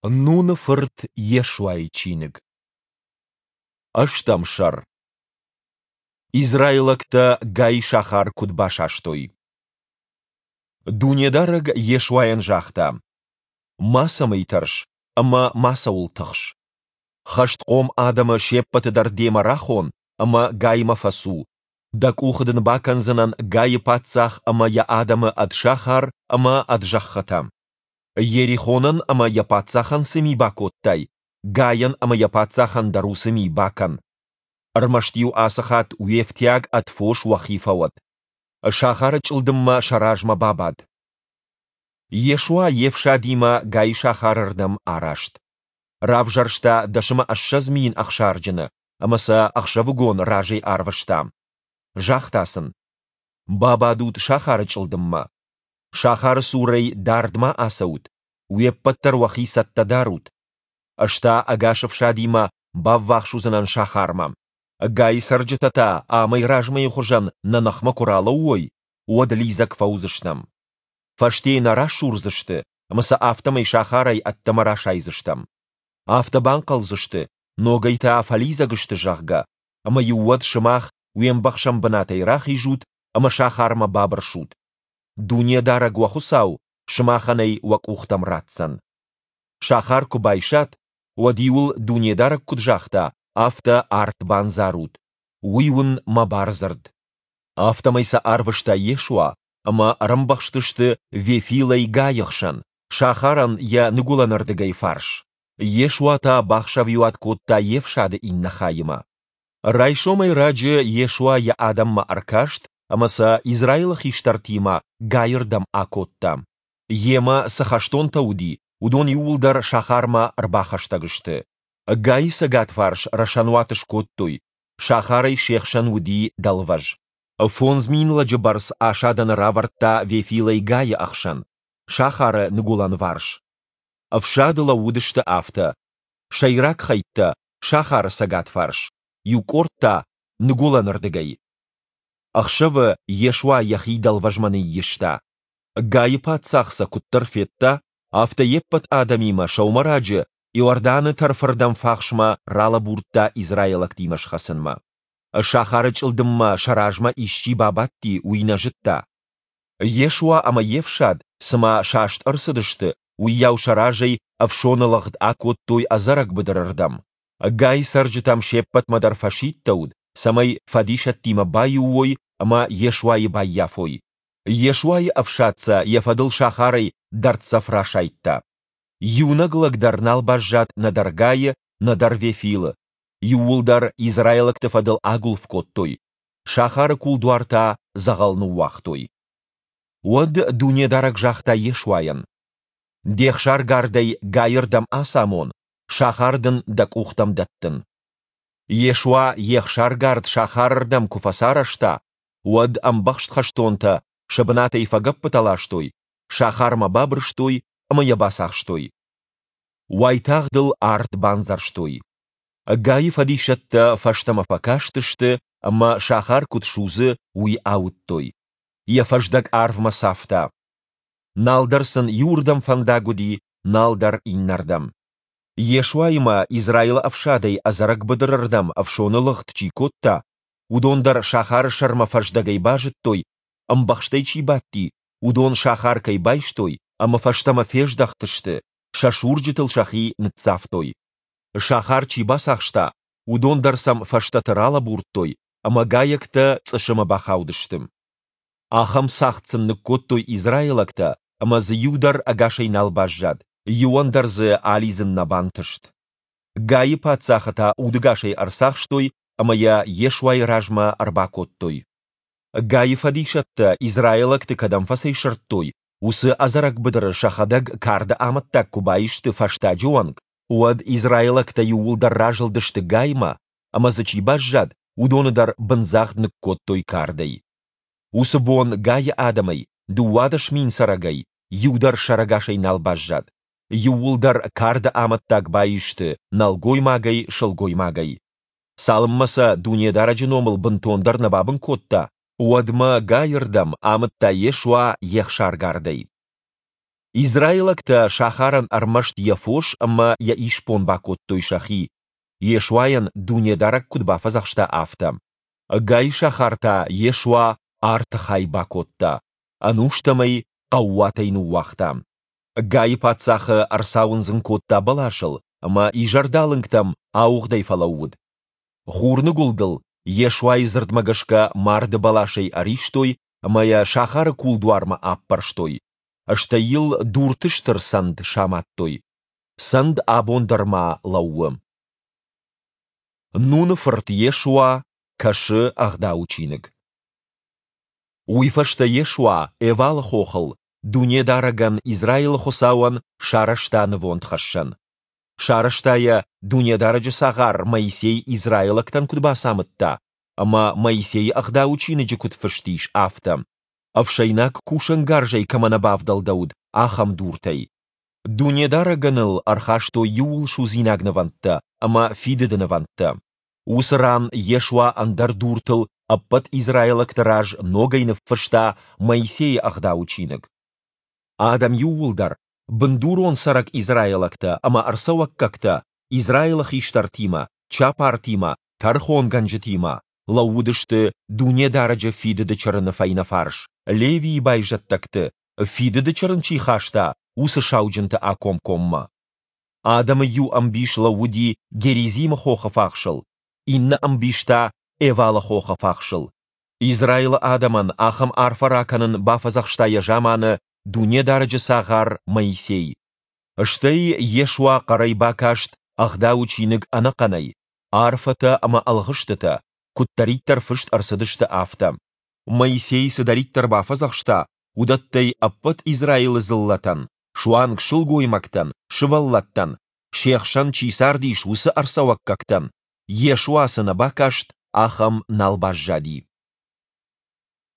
Нуны фырт Йешуайы чиныг. Ӕстӕм сӕр. Израилӕгтӕ Гай сахар куыд басастой. Дунедарӕг Йешуайӕн загъта: Мацӕмӕй тӕрс ӕмӕ мацӕуыл тыхс. Хӕстхъом адӕмы се ппӕты дӕр демӕ рахон ӕмӕ Гаймӕ фӕцу. Дӕ къухы дын бакӕндзынӕн Гайы паддзах ӕмӕ йӕ адӕмы ӕд сахар ӕмӕ ӕд зӕххытӕ. Йерихонӕн ӕмӕ йӕ паддзахӕн цы ми бакодтай, Гайӕн ӕмӕ йӕ паддзахӕн дӕр уыцы ми бакӕн. Ӕрмӕст-иу ацы хатт уе фтиаг ӕд фос уӕхи фӕуӕд. Сахары чъылдыммӕ сӕ размӕ бабад. Йешуа йе фсадимӕ Гайы сахары рдӕм араст. Равзӕрста 20 000 ӕхсарджыны ӕмӕ сӕ ӕхсӕвыгон разӕй арвыста. Загъта сын: Бабадут сахары чъылдыммӕ. Сахары цурӕй дард ма ацӕут, уе ппӕт дӕр уӕхи цӕттӕ дарут. Ӕз та ӕгас ӕфсадимӕ баввахс уыдзынӕн сахармӕ. Гайы цӕрджытӕ та амӕй размӕйы хуызӕн нӕ ныхмӕ куы ралӕууой, уӕд лидзӕг фӕуыдзыстӕм. Фӕстейы нӕ расурдзысты ӕмӕ сӕ афтӕмӕй сахарӕй ӕддӕмӕ расайдзыстӕм. Афтӕ банхъӕлдзысты, ногӕй та фӕлидзӕг сты, зӕгъгӕ, ӕмӕ-иу уӕд сымах уе мбӕхсӕн бынатӕй рахизут ӕмӕ сахармӕ бабырсут. Дунедарӕг уӕ Хуыцау сымахӕн ӕй уӕ къухтӕм ратдзӕн. Сахар куы байсат, уӕд-иу ыл Дунедарӕг куыд загъта, афтӕ арт бандзарут. Уый уын мӕ бардзырд. Афтӕмӕй сӕ арвыста Йешуа, ӕмӕ ӕрӕмбӕхстысты Вефилӕй Гайы хсӕн, сахарӕн йӕ ныгуылӕнырдыгӕй фарс. Йешуа та бахсӕвиуат кодта йе фсады иннӕ хаимӕ. Райсомӕй раджы Йешуа йӕ адӕммӕ ӕркаст ӕмӕ сӕ Израилы хистӕртимӕ Гайы рдӕм акодта. Йемӕ цы хӕстонтӕ уыди, уыдон иууылдӕр сахармӕ ӕрбахӕстӕг сты. Гайы цӕгатварс рӕсӕнуат скодтой, сахарӕй се хсӕн уыди дӕлвӕз. 5000 лӕджы бӕрц асадӕны равӕрдта Вефилӕй Гайы ӕхсӕн, сахары ныгуылӕнварс. Ӕфсады лӕууыдысты афтӕ: сӕйраг хӕйттӕ сахары цӕгатварс, иу къорд та ныгуылӕнырдыгӕй. Ӕхсӕвы Йешуа йӕхи дӕлвӕзмӕ ныййиста. Гайы паддзах сӕ куыддӕр федта, афтӕ йе ппӕт адӕмимӕ сӕумӕраджы Иорданы тӕрфырдӕм фахсмӕ ралӕбурдта израилӕгтимӕ схӕцынмӕ. Сахары чъылдыммӕ сӕ размӕ исчи бабадти, уый нӕ зыдта. Йешуа ӕмӕ йе фсад, цыма саст ӕрцыдысты, уыйау сӕ разӕй ӕфсоны лыгъд акодтой ӕдзӕрӕг быдыры рдӕм. Гайы цӕрджытӕм се ппӕтмӕ дӕр фӕсидтӕуыд, цӕмӕй фӕдисӕттимӕ баиу уой ӕмӕ Йешуайы баййафой. Йешуайы ӕфсад сӕ йӕ фӕдыл сахарӕй дӕрддзӕф расайдта. Иунӕг лӕг дӕр нал баззад нӕдӕр Гайы, нӕдӕр Вефилы. Иууылдӕр израилӕгты фӕдыл агуылф кодтой, сахары кулдуар та дзӕгъӕл ныууагътой. Уӕд Дунедарӕг загъта Йешуайӕн: Де хсаргардӕй Гайы рдӕм ацамон, сахар дын дӕ къухтӕм дӕттын. Йешуа йе хсаргард сахары рдӕм куы фӕцарӕзта, уӕд ӕмбӕхст хӕстонтӕ сӕ бынатӕй фӕгӕппытӕ ластой, сахармӕ бабырстой ӕмӕ йӕ бацахстой. Уайтагъд ыл арт бандзӕрстой. Гайы фӕдисӕттӕ фӕстӕмӕ фӕкастысты ӕмӕ сахар куыд судзы, уый ауыдтой. Йӕ фӕздӕг арвмӕ цавта. Нал дӕр сын иуырдӕм фӕндаг уыди, нал дӕр иннӕрдӕм. Йешуаимӕ Израилы ӕфсадӕй ӕдзӕрӕг быдыры рдӕм ӕфсоны лыгъд чи кодта, уыдон дӕр сахары сӕрмӕ фӕздӕгӕй базыдтой, ӕмбӕхстӕй чи бадти, уыдон сахар кӕй байстой ӕмӕ фӕстӕмӕ фездӕхтысты, сӕ сурджытыл сӕхи ныццавтой. Сахар чи бацахста, уыдон дӕр сӕм фӕстӕты ралӕбурдтой, ӕмӕ гайӕгтӕ цъысымы бахаудысты. Ахӕм цагъд сын ныккодтой израилӕгтӕ, ӕмӕ дзы иу дӕр ӕгасӕй нал баззад, иуӕн дӕр дзы алидзын нӕ бантыст. Гайы паддзахы та удӕгасӕй ӕрцахстой ӕмӕ йӕ Йешуайы размӕ ӕрбакодтой. Гайы фӕдисӕттӕ израилӕгты кӕдӕм фӕцӕйсырдтой, уыцы ӕдзӕрӕг быдыры сӕхӕдӕг карды амӕттаг куы баисты фӕстаджы онг, уӕд израилӕгтӕ иууылдӕр разылдысты Гаймӕ, ӕмӕ дзы чи баззад, уыдоны дӕр бындзагъд ныккодтой кардӕй. Уыцы бон Гайы адӕмӕй, 12 000 цӕрӕгӕй, иу дӕр сӕрӕгасӕй нал баззад. Иууылдӕр карды амӕттаг баисты нӕлгоймагӕй, сылгоймагӕй. Цалынмӕ сӕ Дунедарӕджы номыл бынтондӕр нӕ бабын кодта, уӕдмӕ Гайы рдӕм амыдта Йешуа йе хсаргардӕй. Израилӕгтӕ сахарӕн ӕрмӕст йӕ фос ӕмӕ йӕ исбон бакодтой сӕхи, Йешуайӕн Дунедарӕг куыд бафӕдзӕхста, афтӕ. Гайы сахар та Йешуа арты хай бакодта, ӕнустӕм ӕй хъӕууатӕй ныууагъта. Гайы паддзахы ӕрцауындзын кодта бӕласыл, ӕмӕ изӕрдалынгтӕм ауыгъдӕй фӕлӕууыд. Хурныгуылдыл Йешуайы дзырдмӕ гӕсгӕ марды бӕласӕй ӕристой ӕмӕ йӕ сахары кулдуармӕ аппӕрстой, стӕй йыл дурты стыр цӕнд самадтой. Цӕнд абон дӕр ма лӕууы. Нуны фырт Йешуа кӕсы Ӕгъдауы чиныг. Уый фӕстӕ Йешуа Эвалы хохыл Дунедарӕгӕн, Израилы Хуыцауӕн, сарӕзта нывондхӕссӕн. Сарӕзта йӕ, Дунедарӕджы цагъар Моисей израилӕгтӕн куыд бацамыдта ӕмӕ Моисейы Ӕгъдауы чиныджы куыд фыст ис, афтӕ, ӕфсӕйнаг кусӕнгарзӕй кӕмӕ нӕ бавдӕлдӕуыд, ахӕм дуртӕй. Дунедарӕгӕн ыл ӕрхастой иууылсудзинаг нывӕндтӕ ӕмӕ фидыды нывӕндтӕ. Уыцы ран Йешуа ӕндӕр дуртыл ӕппӕт израилӕгты раз ногӕй ныффыста Моисейы Ӕгъдауы чиныг. Адӕм иууылдӕр, бындурон цӕрӕг израилӕгтӕ ӕмӕ ӕрцӕуӕггӕгтӕ, Израилы хистӕртимӕ, чапартимӕ, тӕрхонгӕнджытимӕ, лӕууыдысты Дунедарӕджы Фидыды Чырыны фӕйнӕфарс, Левийы байзӕддӕгты, Фидыды Чырын чи хаста, уыцы сауджынты акомкоммӕ. Адӕмы иу ӕмбис лӕууыди Геризимы хохы фахсыл, иннӕ ӕмбис та Эвалы хохы фахсыл. Израилы адӕмӕн ахӕм арфӕ ракӕнын бафӕдзӕхста йӕ заманы Дунедарӕджы цагъар Моисей. Стӕй Йешуа хъӕрӕй бакаст Ӕгъдауы чиныг ӕнӕхъӕнӕй, арфӕтӕ ӕмӕ ӕлгъыстытӕ, куыддӕриддӕр фыст ӕрцыдысты, афтӕ. Моисей цыдӕриддӕр бафӕдзӕхста, уыдӕттӕй ӕппӕт Израилы дзыллӕтӕн, суанг сылгоймӕгтӕн, сывӕллӕттӕн, се хсӕн чи цардис, уыцы ӕрцӕуӕггӕгтӕн, Йешуа цы нӕ бакаст, ахӕм нал баззади.